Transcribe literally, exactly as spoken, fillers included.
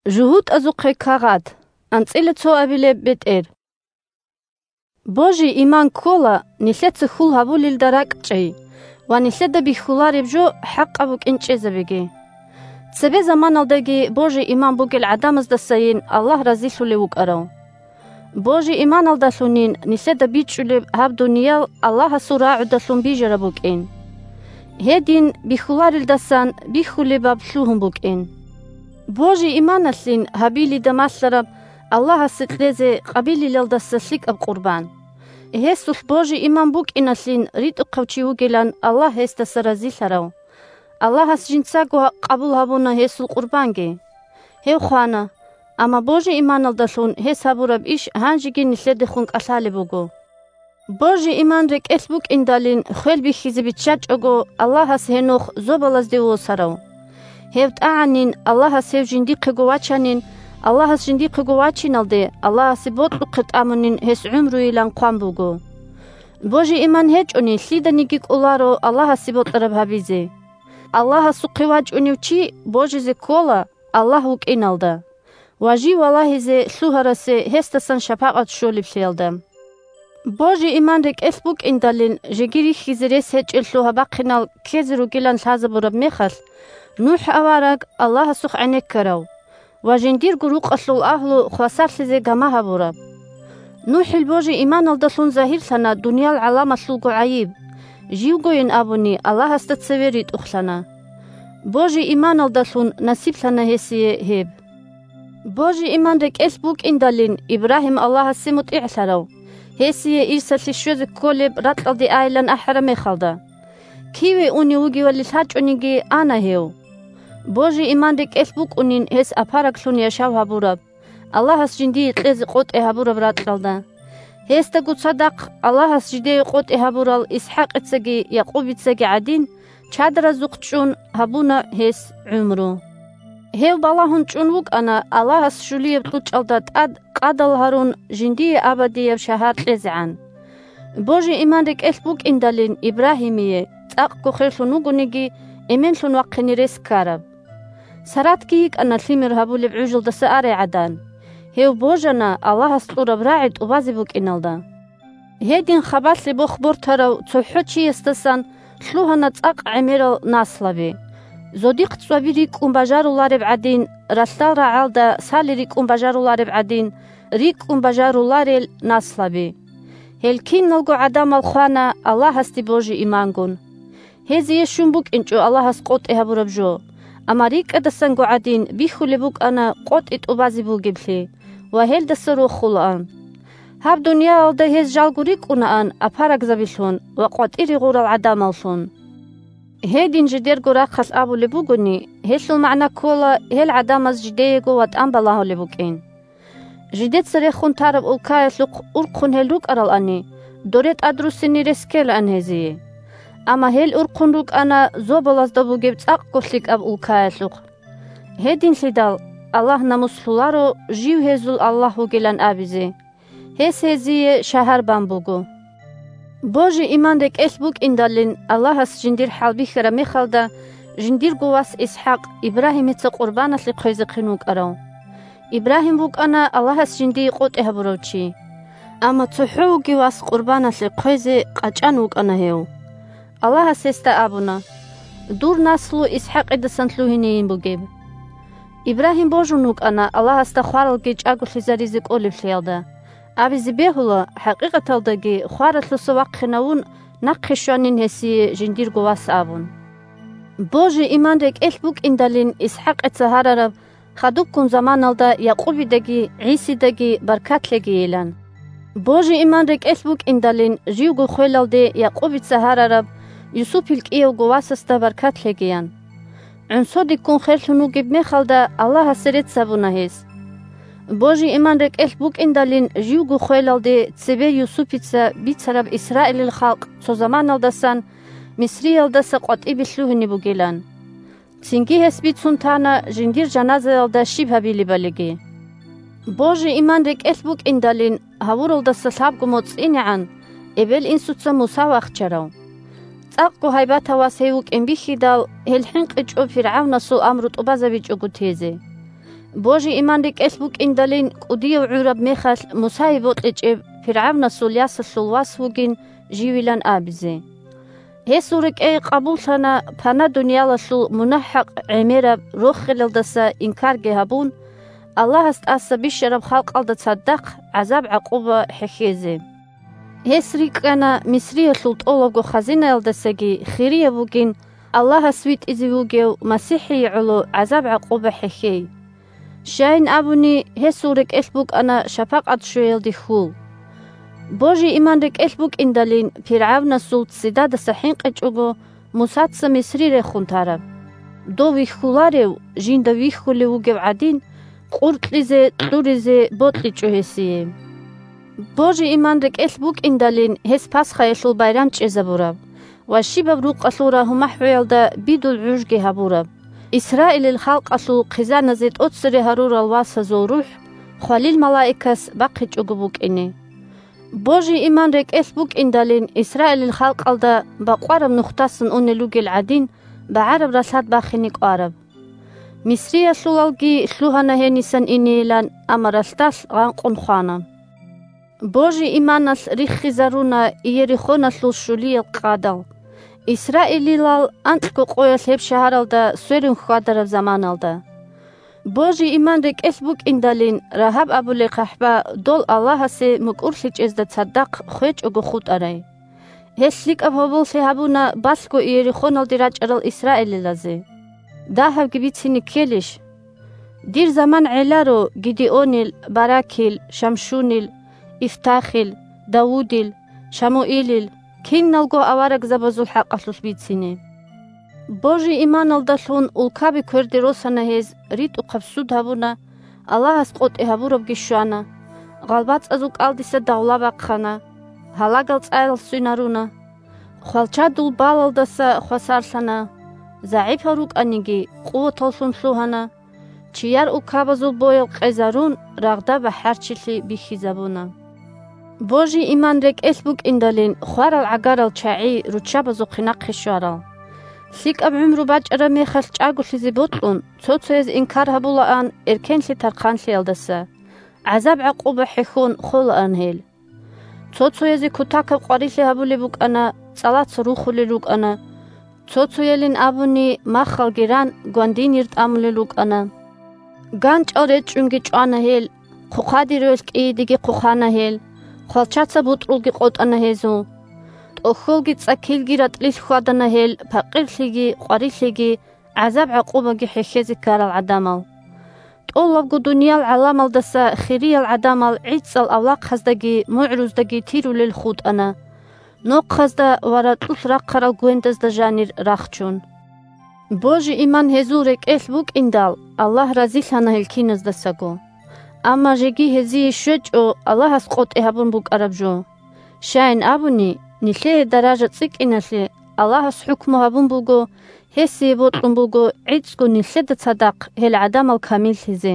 ЖугьутӀазухъе кагъат. АнцӀила цо абилеб бетӀер. Божий иман ккола нилъеца хьул гьабулелда ракӀчӀей ва нилъеда бихьулареб жо хӀакъаб букӀин чӀезабеги. Цебе заманалдаги божий иман бугел гӀадамаздасайин Аллагь разилъулев вукӀарав. Божий иманалдалъунин нилъеда бичӀчӀулеб гьаб дуниял Аллагьасул рагӀудалъун бижараб букӀин. Гьедин бихьуларелдасан бихьулебаб лъугьун букӀин. Божий иманалъин Гьабилида малъараб Аллагьасе кьезе Къабилилалдаса лъикӀаб къурбан. Гьесулъ божий иман букӀиналъин ритӀухъав чи вугилан Аллагь гьесдаса разилъарав. Аллагьас жинцаго къабул гьабуна гьесул къурбанги. Гьев хвана, амма божий иманалдалъун гьес гьабураб иш гьанжеги нилъедехун кӀалъалеб буго. Божий иман рекӀелъ букӀиндалин хвел бихьизе биччачӀого Аллагьас гьенох зобалазде восарав. Гьев тӀагӀанин Аллагьас гьев жиндихъего вачанин, Аллагьас жиндихъего вачиналде Аллагьасе бокьухъе тӀамунин гьес гӀумруйилан хъван буго. Божий иман гьечӀони лъиданиги кӀоларо Аллагьасе бокьараб гьабизе. Аллагьасухъе вачӀунев чи божизе ккола Аллагь вукӀиналда ва жив валагьизе лъугьарасе гьесдасан шапагӀат щолеблъиялда. Божий иман рекӀелъ букӀиндалин жеги рихьизе рес гьечӀелъул гьабахъинал ккезе ругилан лъазабураб мехалъ, НухӀ авараг Аллагьасухъ гӀенеккарав ва жиндирго рукъалъул агьлу хвасарлъизе гама гьабураб. НухӀил божий иманалдалъун загьирлъана дуниял гӀаламалъулго гӀайиб, живгойин абуни Аллагьасда цеве ритӀухълъана. Божий иманалдалъун насиблъана гьесие гьеб. Божий иман рекӀелъ букӀиндалин Ибрагьим Аллагьасе мутӀигӀлъарав, гьесие ирсалъе щвезе кколеб ракьалде айилан ахӀараб мехалда. Киве унев вугевали лъачӀониги ана гьев. Божий иман рекӀелъ букӀунин гьес апараглъун яшав гьабураб, Аллагьас жиндие кьезе къотӀи гьабураб ракьалда. Гьесдаго цадахъ Аллагьас жидее къотӀи гьабурал ИсхӀакъицаги Якъубицаги гӀадин, чадаразухъ чӀун гьабуна гьес гӀумру. Гьев балагьун чӀун вукӀана Аллагьас щулияб кьучӀалда тӀад къадал гьарун жиндие абадияб шагьар кьезегӀан. Божий иман рекӀелъ букӀиндалин Ибрагьимие, цӀакъго херлъун вугониги, эменлъун вахъине рес ккараб. Саратги йикӀана лъимер гьабулеб гӀужалдаса арай гӀадан. Гьев божана Аллагьас кьураб рагӀи тӀубазе букӀиналда. Гьедин хабалъе бох бортарав цохӀо чиясдасан лъугьана цӀакъ гӀемерал наслаби. Зодихъ цӀваби рикӀкӀун бажарулареб гӀадин, ралъдал рагӀалда сали рикӀкӀун бажарулареб гӀадин, рикӀкӀун бажаруларел наслаби. Гьел киналго гӀадамал хвана Аллагьасде божи-имангун. Гьезие щун букӀинчӀо Аллагьас къотӀи гьабураб жо, амма рикӀкӀадасанго гӀадин бихьулеб букӀана къотӀи тӀубазе бугеблъи ва гьелдаса рохулаан. Гьаб дуниялалда гьез жалго рикӀкӀунаан апарагзабилъун ва къватӀире гъурал гӀадамаллъун. Гьедин жидерго рахъалъ абулеб бугони, гьелъул магӀна ккола гьел гӀадамаз жидеего ватӀан балагьулеб букӀин. Жидеца рехун тараб улкаялъухъ урхъун гьел рукӀаралани, доре тӀадруссине рес ккелаан гьезие. Амма гьел урхъун рукӀана зобалазда бугеб цӀакъго лъикӀаб улкаялъухъ. Гьединлъидал Аллагь намус лъоларо жив гьезул Аллагь вугилан абизе. Гьес гьезие шагьар бан буго. Божи-иман рекӀелъ букӀиндалин Аллагьас жиндир хӀалбихьараб мехалда, жиндирго вас ИсхӀакъ Ибрагьимица къурбаналъе хъвезехъин вукӀарав. Ибрагьим вукӀана Аллагьас жиндие къотӀи гьабурав чи. Амма цохӀо вугев вас къурбаналъе хъвезе къачӀан вукӀана гьев. Аллагьас гьесда абуна: «Дур наслу ИсхӀакъидасан лъугьинейин бугеб». Ибрагьим божун вукӀана Аллагьасда хваралги чӀаголъизаризе кӀолеблъиялда. Абизе бегьула, хӀакъикъаталдаги хваралъуса вахъинавун, нахъе щванин гьесие жиндирго вас абун. Божи-иман рекӀелъ букӀиндалин ИсхӀакъица гьарараб хадубккун заманалда Якъубидаги ГӀисидаги баркат лъегейилан. Божи-иман рекӀелъ букӀиндалин живго хвелалде Якъубица гьарараб Юсупил кӀиявго васасда баркат лъегеян. ГӀунсодиккун херлъун вугеб мехалда Аллагьасе рецц гьабуна гьес. Божи-иман рекӀелъ букӀиндалин живго хвелалде цебе Юсупица бицараб Исраилил халкъ цо заманалдасан Мисриялдаса къватӀибе лъугьине бугилан. Цинги гьес бицун тана жиндир жаназаялда щиб гьабилебалиги. Божи-иман рекӀелъ букӀиндалин гьавуралдаса лъабго моцӀ инегӀан эбел-инсуца Муса вахчарав. ЦӀакъго гьайбатав вас гьев вукӀин бихьидал, гьел хӀинкъичӀо ФиргӀавнасул амру тӀубазабичӀого тезе. Божи-иман рекӀелъ букӀиндалин кӀудияв гӀураб мехалъ Мусае бокьичӀеб ПиргӀавнасул ясалъул вас вугин живилан абизе. Гьесул рекӀее къабуллъана пана дуниялалъул мунагь-хӀакъ гӀемераб рохелалдаса инкарги гьабун, Аллагьас тӀаса бищараб халкъалда цадахъ гӀазаб-гӀакъуба хӀехьезе. Гьес рикӀкӀана Мисриялъул тӀолабго хазинаялдасаги хирияб бугин Аллагьас витӀизе вугев МасихӀие гӀоло гӀазаб-гӀакъуба хӀехьей. Щайин абуни, гьесул рекӀелъ букӀана шапакъат щвеялде хьул. Божи-иман рекӀелъ букӀиндалин ПиргӀавнасул ццидадаса хӀинкъичӀого, Мусаца Мисри рехун тараб. Дов вихьуларев, жинда вихьулев вугев гӀадин, къуркьизе, кьуризе бокьичӀо гьесие. Божи-иман рекӀелъ букӀиндалин гьес Пасхаялъул байрам чӀезабураб ва щибаб рукъалъул рагьу-махӀуялда бидул гӀужги гьабураб, Исраилил халкъалъул хъизаназе тӀоцере гьарурал васазул рухӀ хвалил малаикас бахъичӀого букӀине. Божи-иман рекӀелъ букӀиндалин Исраилил халкъалда бакъвараб нухдасан унел ругел гӀадин, багӀараб ралъад бахине кӀвараб. Мисриялъулалги лъугьана гьенисан инейилан, амма ралъдалъ гъанкъун хвана. Божи-иманалъ риххизаруна Иерихоналъул щулиял къадал, Исраилилал анкьго къоялъ гьеб шагьаралда сверун хьвадараб заманалда. Божи-иман рекӀелъ букӀиндалин Рагьаб абулей хъахӀба дол Аллагьасе мукӀурлъичӀезда цадахъ хвечӀого хутӀарай. Гьелъ лъикӀаб гьоболлъи гьабуна балъго Иерихоналде рачӀарал исраилилазе. Дагьабги бицине ккелищ? Дир заман гӀеларо Гидеонил, Баракил, Шамшунил, Ифтахил, Давудил, Шамуилил, киналго аварагзабазул хӀакъалъулъ бицине. Божи-иманалдалъун улкаби кверде росана гьез, ритӀухъаб суд гьабуна, Аллагьас къотӀи гьабурабги щвана, гъалбацӀазул кӀалдиса давла бахъана, гьалагал цӀаял сцунаруна, хвалчадул балалдаса хвасарлъана, загӀипал рукӀаниги, къуваталлъун лъугьана, чияр улкабазул боял къезарун, рагъда бахӀарчилъи бихьизабуна. Божи-иман рекӀелъ букӀиндалин хварал-гӀагарал чагӀи руччабазухъе нахъе щварал. ЛъикӀаб гӀумру бачӀараб мехалъ чӀаголъизе бокьун, цо-цояз инкар гьабулаан эркенлъи-тархъанлъиялдаса, гӀазаб-гӀакъуба хӀехьон холаан гьел. Цо-цоязе кутакаб къварилъи гьабулеб букӀана, цӀалаца рухулел рукӀана, цо-цоялин абуни махалги ран гвандинир тӀамулел рукӀана. ГанчӀал речӀчӀунги чӀвана гьел, хъухъаде релъ кӀиидеги хъухъана гьел, хвалчаца бутӀрулги къотӀана гьезул. ТӀохьолги цӀакилги ратӀлилъ хьвадана гьел, пакъирлъиги, къварилъиги, гӀазаб-гӀакъубаги хӀехьезе ккарал гӀадамал. ТӀолабго дуниял гӀаламалдаса хириял гӀадамал гӀицӀал авлахъаздаги мугӀруздаги тирулел хутӀана. Нохъазда ва ракьулъ рахъарал гвендазда жанир рахчун. Божи-иман гьезул рекӀелъ букӀиндал, Аллагь разилъана гьел киназдасаго. Амма жеги гьезие щвечӀо Аллагьас къотӀи гьабун букӀараб жо. Щайин абуни, нилъее даража цӀикӀкӀиналъе Аллагьас хӀукму гьабун буго, гьесие бокьун буго гӀицӀго нилъеда цадахъ гьел гӀадамал камиллъизе.